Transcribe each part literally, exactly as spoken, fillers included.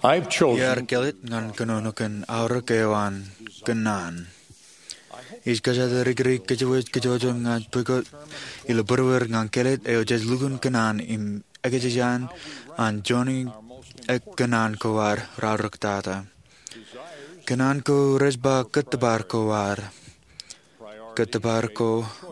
Iar kelōt ñan kōnono kōn aorōk eo an kōnnaan. Ij kōjatdikdik kōjwōj kōjwōj ñan pukot ilo būruer ñan kelōt eo jej lukkuun kōnnaan im ekōjkan an joñan kōnnaan ko ad raorōktata. Kōnnaan ko rej ba kōttōpar ko ad. Kōttōpar ko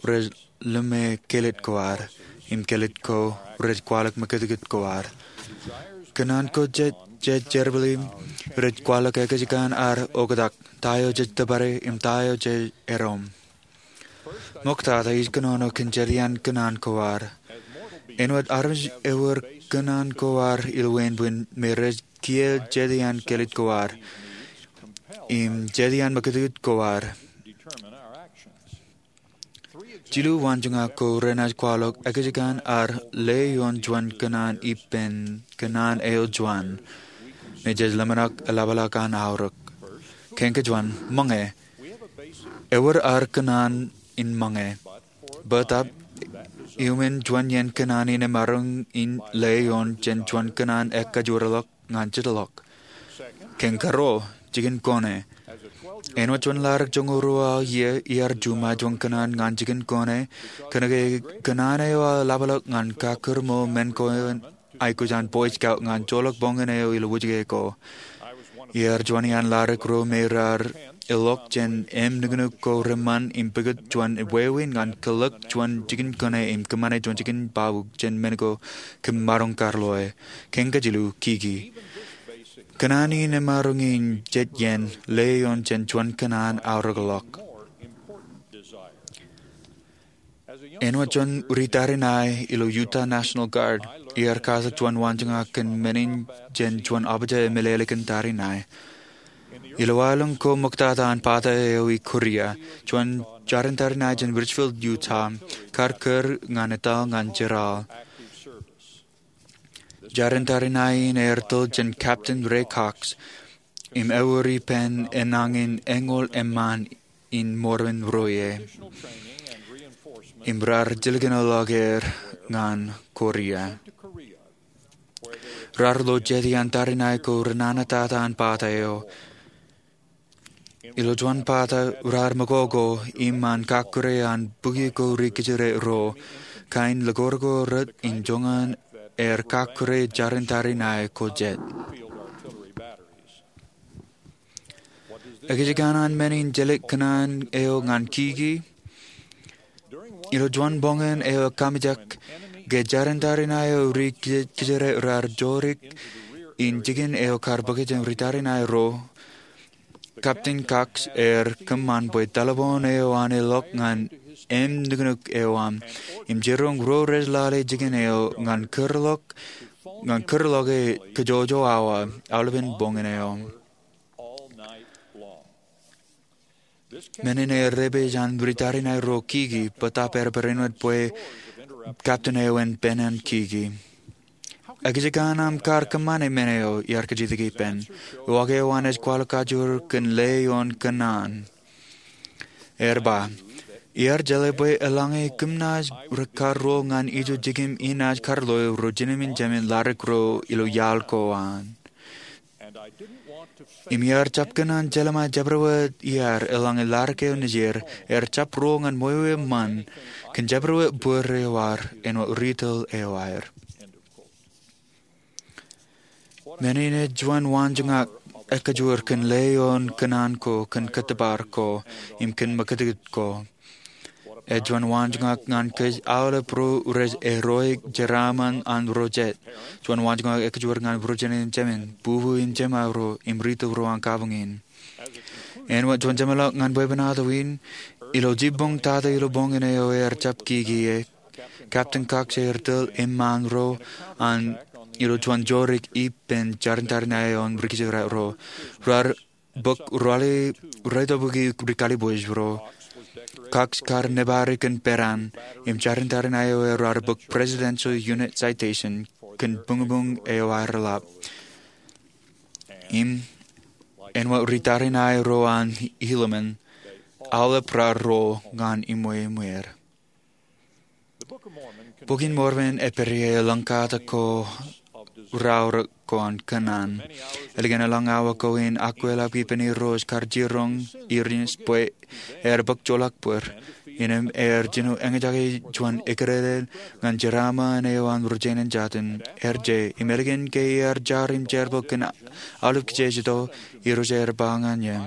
rej ḷōme kelōt ko ad, im kelōt ko rej kwaḷọk mekitikit ko ad. Kōnnaan ko jej, jej jerbal im rej kwaḷọk ekōjkan ad oktak, ta eo jej tōpare im ta eo jej erom. Ṃoktata ij kōnono kōn jet iaan kōnnaan ko ad. Āinwōt armej ewōr kōnnaan ko ad ilo wāween bwin me rej kiiō jet iaan kelōt ko ad im jet iaan mekitikit ko ad. Jilu waanjoñak ko renaaj kwaḷọk ekōjkan ad ḷeo ioon juon kōnnaan ippān kōnnaan eo juon me jej ḷōmṇak eḷapḷọk an aorōk. Kein kōjuon, ṃōñā. Ewōr ad kōnnaan in ṃōñā. Bōtab, iuṃwin juon iien kōnnaan in emaroñ in ḷeo ioon jān juon kōnnaan ekajoorḷọk ñan jitḷọk. Kein karuo, jikin kone. Āinwōt juon ḷadik joñoul ruo aō iiō, iar juṃae juon kōnnaan ñan jikin kone, kōnke kōnnaan eo aō eḷapḷọk ñan kakkūrṃo men ko aikuj an Boy Scout ñan joḷọk boñōn eo ilo wūjke ko. Iar juon iaan ḷadik ro me raar eḷọk jān im nuknuk ko reṃṃan im pukot juon wāween ñan kōḷḷọk juon jikin kone im kōṃṃane juon jikin baabuuk jān men ko kōm maroñ karloe. Kein kajilu, kiki. Kōnnaan in emaroñ in jet iien ḷeo ioon jān juon kōnnaan aorōkḷọk. Āinwōt juon ri tariṇae ilo Utah National Guard, iar katak juon waanjoñak kōn men in jān juon abja emeḷeḷe kōn tariṇae. Ilo aelōñ ko ṃoktata an bata eo i Korea, juon jarin tariṇae jān Richfield, Utah, kar kūr ñan etal ñan jeral. Jarin tariṇae in ear tōl jān Captain Ray Cox, im ewōr ippān enañin eñoul eṃṃaan in Mormon ro ie, im raar jilkinḷọk er ñan Korea. Raar lo jet iaan tariṇae ko renana tata an bata eo. Ilo juon bata raar mokoko iṃaan kakkure an bukwi ko ri kōjro ro, kain likor ko rot in joñan aer kakkure jarin tariṇae ko jet. Ekōjkan an men in jelōt kōnnaan eo ñan kiki. Ilo juon boñōn eo kaamijak, ke jarin tariṇae eo ri kōj-, kōjro raar jodik in jikin eo kar bōke jān ri tariṇae ro, Captain Cox ear kōṃṃan bwe taḷboon eo an eḷọk ñan im nuknuk eo an, im jiroñ ro rej lale jikin eo ñan kūrḷọk, ñan kūrḷọk e kōjoojo awa, aolepen boñōn eo. Men in ear repeej an ri tariṇae ro kiki, bōtab ear barāinwōt bwe captain eo en penan kiki. Ekōjkan aṃ kar kōṃṃane men eo? Iar kajjitōk ippān. Uwaak eo an ej kwaḷọk kajoor kōn ḷeo ioon kōnnaan. Ear ba, iar jeḷā bwe eḷaññe kōm naaj kar ruo ñan ijo jikin im naaj kar loe ro jinōmin jemān ḷadik ro ilo iaḷ ko an. Im iar jab kōn an jelṃae jabdewōt iaad eḷaññe ḷadik eo nejier, ear jab ruo ñan ṃweo eṃṃan, kōn jabdewōt bōd eo ad, āinwōt ri tōl eo aer. Men in ej juon waanjoñak ekajoor kōn ḷeo ioon kōnnaan ko, kōn kōttōpar ko, im kōn mekitikit ko. Ej juon waanjoñak ñan kōj aolep ro rej erreo jeraaṃṃan an ro jet. Juon waanjoñak ekajoor ñan ro jinōmin jemān, bubu im jemān ro, im ri tōl ro an kabuñ in. Āinwōt juon jeṃḷọk ñan bwebwenato in, ilo jibboñ tata ilo boñōn eo ear jab kiki e, Captain Cox ear tōl eṃṃaan ro an ilo juon jodik ippān jarin tariṇae eo an ri kōjro ro. Raar bōk ralitōbōki ri kalibwij ro. Cox kar nōbari kōn peran, im jarin tariṇae eo raar bōk Presidential Unit Citation kōn buñbuñ eo aer ḷap. Im āinwōt ri tariṇae ro an Helaman, aolep raar ruo ñan iṃweiṃwer. Bok in Mormon ej pād ie eḷap kata ko raorōk ko an kōnnaan. Ālikin elōñ awa kein, akwāāl ippān Irooj kar jiroñ Iris bwe ear bōk joḷọk bōd, innām ear jino eñjake juon eklejel ñan jeraaṃṃan eo an ri-jenaaj jatūṃ. Ear je, im ālikin ke iar jar im jerbal kōn aolep kijeej eo, Irooj ear ba ñan eō,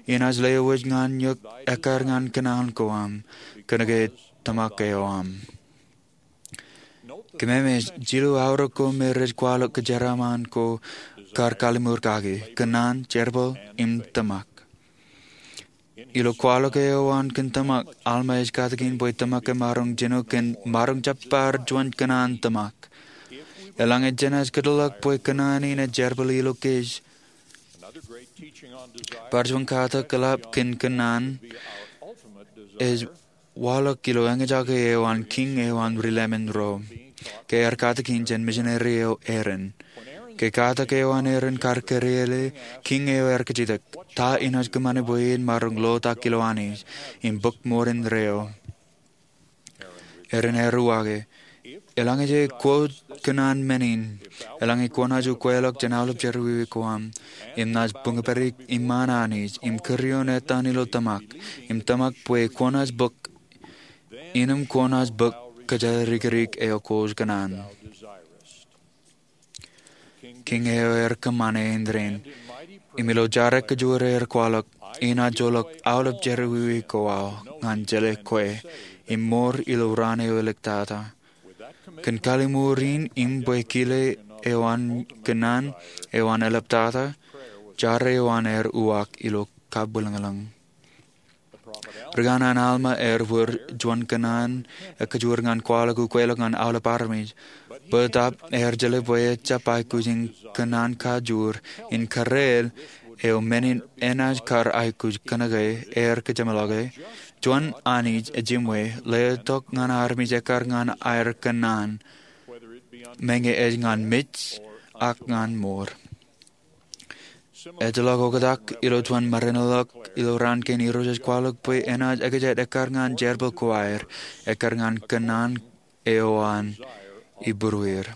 inaaj lewōj ñan eok ekkar ñan kōnnaan ko aṃ, kōnke tōmak eo aṃ. Kōmemej, jilu aorōk ko me rej kwaḷọk kōjeraaṃṃan ko kar kalliṃur kaki: kōnnaan, jerbal, im tōmak. Ilo kwaḷọk eo an kōn tōmak, Alma ej katakin bwe tōmak emaroñ jino kōn maroñ jab bar juon kōnnaan tōmak. Eḷaññe jenaaj kōtḷọk bwe kōnnaan in ej jerbal ilo kōj, bar juon katak eḷap kōn kōnnaan ej waḷọk ilo eñjake eo an kiiñ eo an ri-Leman ro, ke ear katakin jān misineri eo Aaron. Ke katak eo an Aaron kar kūrele, kiiñ eo ear kajjitōk, Ta inaaj kōṃṃane bwe en maroñ lotak ilo Anij im bōk ṃoor indeeo? Aaron ear uwaake, Eḷaññe jej quote kōnnaan men in, eḷaññe kwōnaaj ukeḷọk jān aolep jerọwiwi ko aṃ, im naaj buñpād iṃaan Anij, im kūr ioon etan ilo tōmak, im tōmak bwe kwōnaaj bōk, innām kwōnaaj bōk kōjerikdik eo kwōj kōnnaan. Kiiñ eo ear kōṃṃane indeeo, im ilo jar ekajoor ear kwaḷọk, Inaaj joḷọk aolep jerọwiwi ko aō ñan jeḷā kwe, im ṃoor ilo raan eo eliktata. Kōn kalliṃur in im bwe kile eo an kōnnaan eo an eliktata, jar eo an ear uwaak ilo kabwilōñlōñ. Ri-kanaan Alma ear wōr juon kōnnaan ekajoor ñan kwaḷọk ukeḷọk ñan aolep armej. Bōtaab ear jeḷā bwe ejjab aikuj in kōnnaan kajoor in kōreel eo men in enaaj kar aikuj kōnke ear kōjeṃḷọke juon Anij ejiṃwe letok ñan armej ekkar ñan aer kōnnaan, meñe ej ñan mej ak ñan ṃoor. Ejjeḷọk oktak ilo juon maroñ in ḷọk ilo raan kein Irooj ej kwaḷọk bwe enaaj ekjat ekkar ñan jerbal ko aer, ekkar ñan kōnnaan eo an ibūrueir.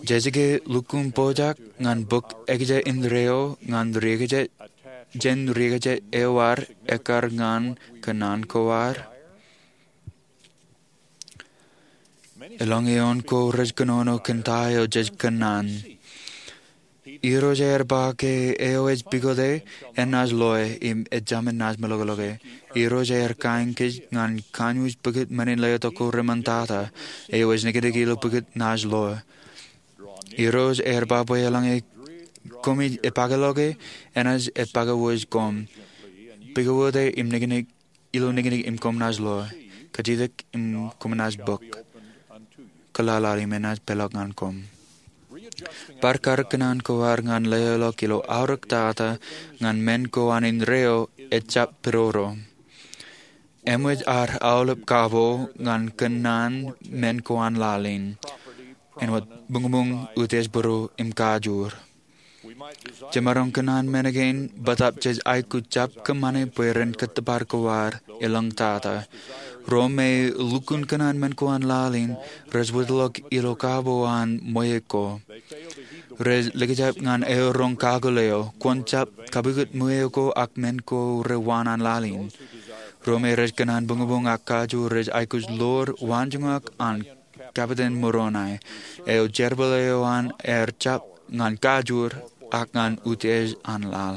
Jej ke lukkuun pojak ñan bōk ekjat indeeo ñan ri-ekjat, jān ri-ekjat eo ad ekkar ñan kōnnaan ko ad? Eḷaññe eoon ko rej kōnono kōn ta eo jej kōnnaan. Irooj ear ba ke eo ej pukot e, enaaj loe, im ejāmin naaj meḷọkḷọke. Irooj ear kain kōj ñan kanooj pukot men in letok ko reṃōn tata, eo ej niknik ilo pukot naaj loe. Irooj ear ba bwe eḷaññe koṃij epakeḷọke, enaaj epakewōj koṃ. Pukot e im niknik ilo niknik im koṃ naaj loe, kajjitōk im koṃ naaj bōk, kōḷaḷḷaḷ im enaaj peḷḷọk ñan koṃ. Bar karōk kōnnaan ko ad ñan leḷọk ilo aorōk tata ñan men ko an indeeo ejjab pidodo. Eṃōj ad aolep kabo ñan kōnnaan men ko an laḷ in, āinwōt buñbuñ, utiej būruō im kajoor. Jemaroñ kōnnaan men kein bōtaab jej aikuj jab kōṃṃane bwe ren kōttōpar ko ad eḷaññe tata. Ro me lukkuun kōnnaan men ko an laḷ in rej wōtlọk ilo kabo an ṃweiuk ko. Rej likjab ñan eoroñ kakōl eo, kwōn jab kapukot ṃweiuk ko ak men ko rewaan an laḷ in. Ro me rej kōnnaan buñbuñ ak kajoor rej aikuj ḷoor waanjoñak an Kapiten Moroni, eo jerbal eo an ear jab ñan kajoor ak ñan utiej an laḷ.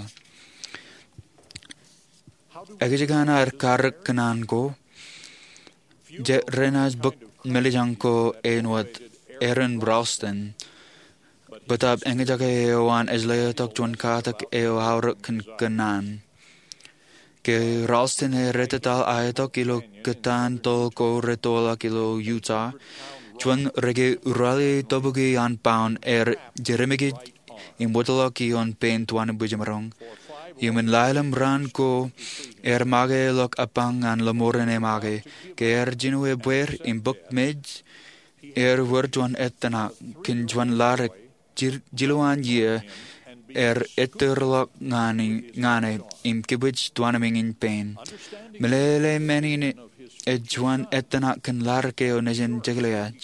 Ekwe, ij kōṇaan karōk kōnnaan ko, jen renaaj bōk meḷeḷein ko āinwōt Aron Ralston, bōtaab eñjake eo an ej letok juon katak eo aorōk kōn kōnnaan. Ke Ralston ear ettōtaḷ aetok ilo kōtaan toḷ ko retoḷọk ilo Utah, juon reke ralitōbuki an paun ear jedeṃōj im wōtlọk ioon pein tuanbwijemaroñ. Iuṃwin lale im raan ko ear make ḷọk apañ ñan lọmọọren emake. Ke ear jino ebbeer im bōk mej, ear wōr juon ettōṇak kōn juon ladik jil-, jilu an iiō, ear ettōrḷọk ñan, ñan e im kibwij tuanbwiin pein. Meḷeḷe men in ej juon ettōṇak kōn ladik eo nejin jekḷaj.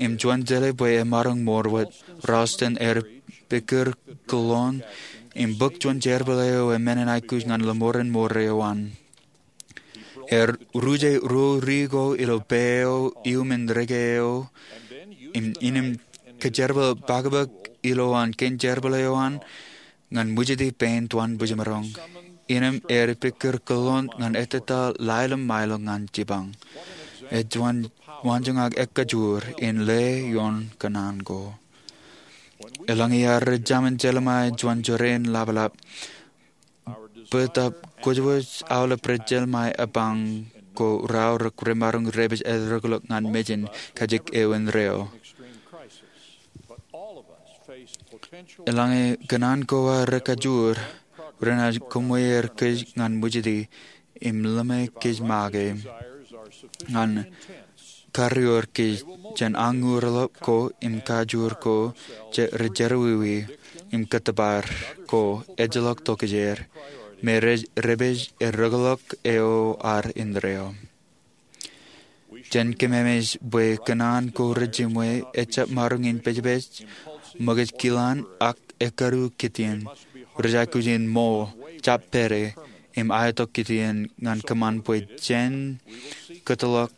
im juon jeḷā bwe emaroñ ṃool wōt. Ralston ear pikkūr kōḷḷoon im bōk juon jerbal eo eṃṃan in aikuj ñan lōṃoren ṃool eo an. Ear ruje ruo ri ko ilo pā eo iuṃwin reke eo, im, im kōjerbal pakpak ilowaan kein jerbal eo an ñan ṃwijiti pein tuan bwijmaroñ. Innām ear pikkūr kōḷḷoon ñan ettā laiḷọk mailọk ñan jipañ. Ej juon waanjoñak ekkajoor in ḷe ioon kōṇaan ko. Eḷaññe iar jemān jeḷā ṃae juon jorrāān laplap, bōtaab kwōjwōj aolep rej jeḷā ṃae epañ ko raorōk remaroñ rej pād erreḷọk ñan mejān kajjik eo indeeo. Eḷaññe kōṇaan ko ar kajoor, renaaj kōṃṃweer kōj ñan ṃwijiti im ḷōṃe kōj make ñan karreoer kōj jān añuurḷap ko im kajoor ko jej jerọwiwi im kōttōpar ko ejjeḷọk tokjāer me rej pād erreḷọk eo ad indeeo. Jen kememej bwe kōṇaan ko rejiṃwe ejjab maroñ in pejpej, ṃōkaj kilaan, ak ekkadu kitien. Rej aikuj in ṃool, jab pād, im aetok kitien ñan kōṃṃan bwe jen kōtḷọk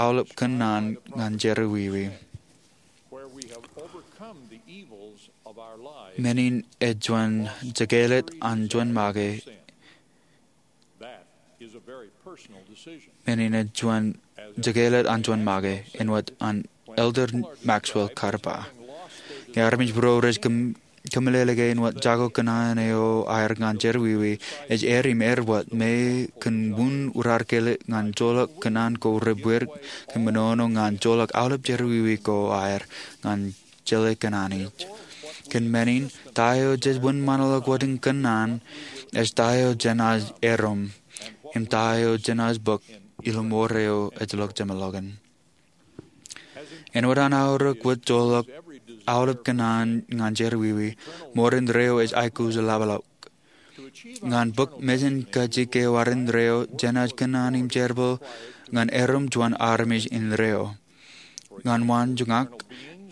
aolep kōṇaan ñan jerọwiwi. Men in ej juon jekāālōt an juon make. Men in ej juon jekāālōt an juon make, āinwōt an Elder Maxwell kar ba. Ñe armej ro rej kōmeḷeḷe ke āinwōt jako kōṇaan eo aer ñan jerọwiwi, ej aer im aer wōt me kōn wūn rarkele ñan joḷọk kōṇaan ko rej bwid kōn menono ñan joḷọk aolep jerọwiwi ko aer ñan jeḷā kōṇaan ij. Kōn men in, ta eo jej wōnṃaanḷọk wōt in kōṇaan ej ta eo jenaaj erom im ta eo jenaaj bōk ilo ṃool eo ejjeḷọk jeṃḷọkin. Āinwōt an aorōk wōt joḷọk aolep kōṇaan ñan jerọwiwi, ṃool indeeo ej aikuj laplap. Ñan bōk mejān kajjik eo ad indeeo, jenaaj kōṇaan im jerbal ñan erom juon armej indeeo. Ñan waanjoñak,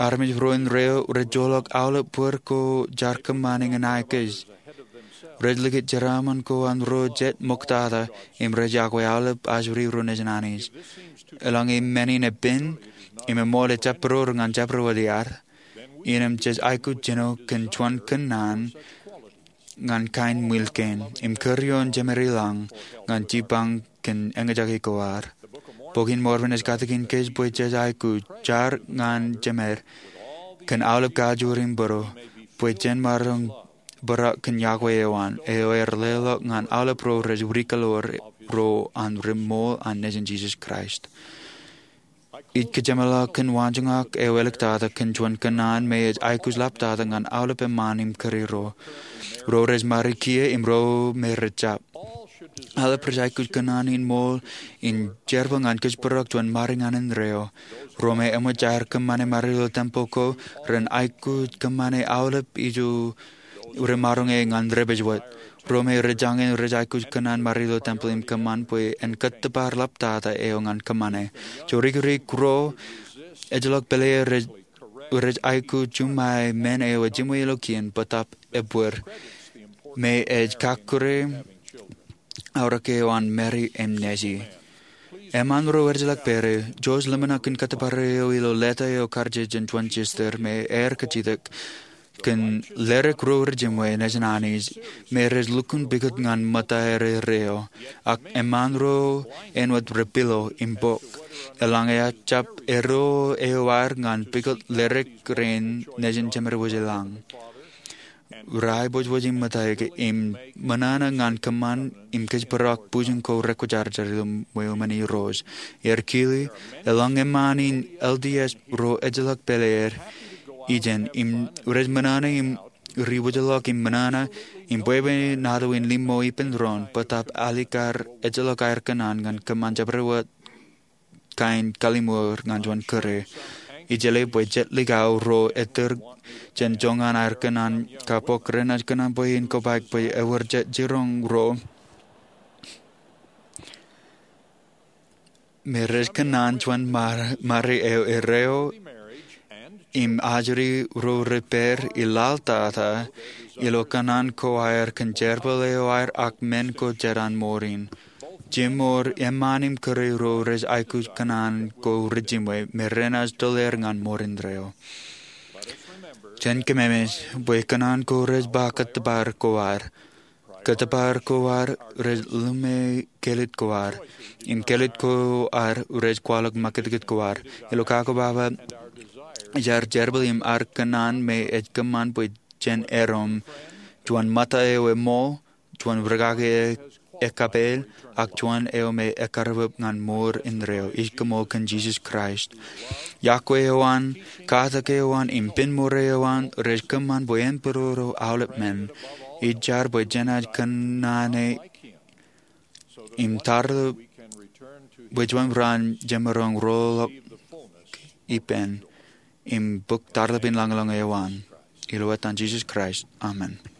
armej ro indeeo rej joḷọk aolep bōd ko jaar kōṃṃane ñan aikuj. Rej likūt jeraaṃṃan ko an ro jet ṃoktata im rej yokwe aolep ajri ro nejin Anij. Eḷaññe men in epen im eṃool ejjab būroor ñan jabdewōt iaad, innām jej aikuj jino kōn juon kōṇaan ñan kain ṃwiil kein im kūr ioon jemed ilañ ñan jipañ kōn eñjake ko ad. Bok in Mormon ej katakin kōj bwe jej aikuj jar ñan jemed kōn aolep kajoor im būruo bwe jen maroñ bōraak kōn yokwe eo an, eo ear leḷọk ñan aolep ro rej rikaḷoor ro an ri-ṃool an nejin Jisōs Kraist. Ij kōjeṃḷọk kōn waanjoñak eo āliktata kōn juon kōṇaan me ej aikuj ḷaptata ñan aolep eṃṃaan im kūr ro, ro rej ṃare kiiō im ro me rej jab. Aolep rej aikuj kōṇaan in ṃool in jerbal ñan kōjparok juon ṃare ñan indeeo. Ro me eṃōj aer kōṃṃane ṃare ilo tempel ko ren aikuj kōṃṃane aolep ijo remaroñe ñan rej pād wōt. Ro me rej jañin rej aikuj kōṇaan ṃare ilo tempel im kōṃṃan bwe en kōttōpar ḷaptata eo ñan kōṃṃane. Jorikirik ro ejjeḷọk pālle rej aikuj juṃae men eo ejiṃwe ilo kien bōtaab ebwid me ej kakkure aorōk eo an Mary im Nancy. Eṃṃaan ro ejjeḷọk pālle, jouj ḷōmṇak kōn kōttōpar eo ilo leta eo kar jān juon sister me ear kajjitōk kōn ledik ro rejiṃwe nejin Anij me rej lukkuun pukot ñan ṃōtta erreo, ak eṃṃaan ro āinwōt ri-pilo im bok. Eḷaññe ejjab erreo eo aer ñan pukot ledik rein nejin jemed wōj ilañ, raiboojoj im ṃōttaik im ṃōṇōṇō ñan kōṃṃan im kōjparok bwijin ko rekwōjarjar ilo ṃweo men Irooj. Ear kile, eḷaññe eṃṃaan in L D S ro ejjeḷọk pālle er ijeṇ im rej ṃōṇōṇō im ri-wōjḷọk im ṃōṇōṇō im bwebwe naan in limmo ippān doon, bōtaab alikkar ejjeḷọk aer kōṇaan ñan kōṃṃan jabdewōt kain kalliṃur ñan juon kūr. Ij jeḷā bwe jet likao ro ettōr jān joñan aer kōṇaan kab bok renaaj kōṇaan bwe in kobaik bwe ewōr jet jiroñ ro me rej kōṇaan juon ṃare eo erreo im ajri ro ri pād i laḷ tata ilo kōṇaan ko aer kōn jerbal eo aer ak men ko jān an mour in. Jimor eṃṃan im kūr ro rej aikuj kōṇaan ko rijimwe me renaaj tōl er ñan mour indeeo. Jen kōmemej bwe kōṇaan ko rej ba kōttōpar ko ad. Kōttōpar ko ad rej lōme kelid ko ad, im kelid ko ad rej kwaḷọk makūtkūt ko ad. Ilo kakobaba ijo ad jerbal im ad kōṇaan me ej kōṃṃan bwe jen erom juon ṃōtta eo eṃool, juon rūkaki ekkapeel, ak juon eo me ekkarrepep ñan mour indeeo. Ij koṃṃool kōn Jisōs Kraist. Iọkwe eo an, katak eo an, im pen mour eo an rej kōṃṃan bwe en pād ilo aolep men. Ij jar bwe jenaaj kōnono im tarro bwe juon raan jemaroñ roḷọk ippān im bōk tarlepin lañlōñ eo an. Ilo etan Jisōs Kraist, amen.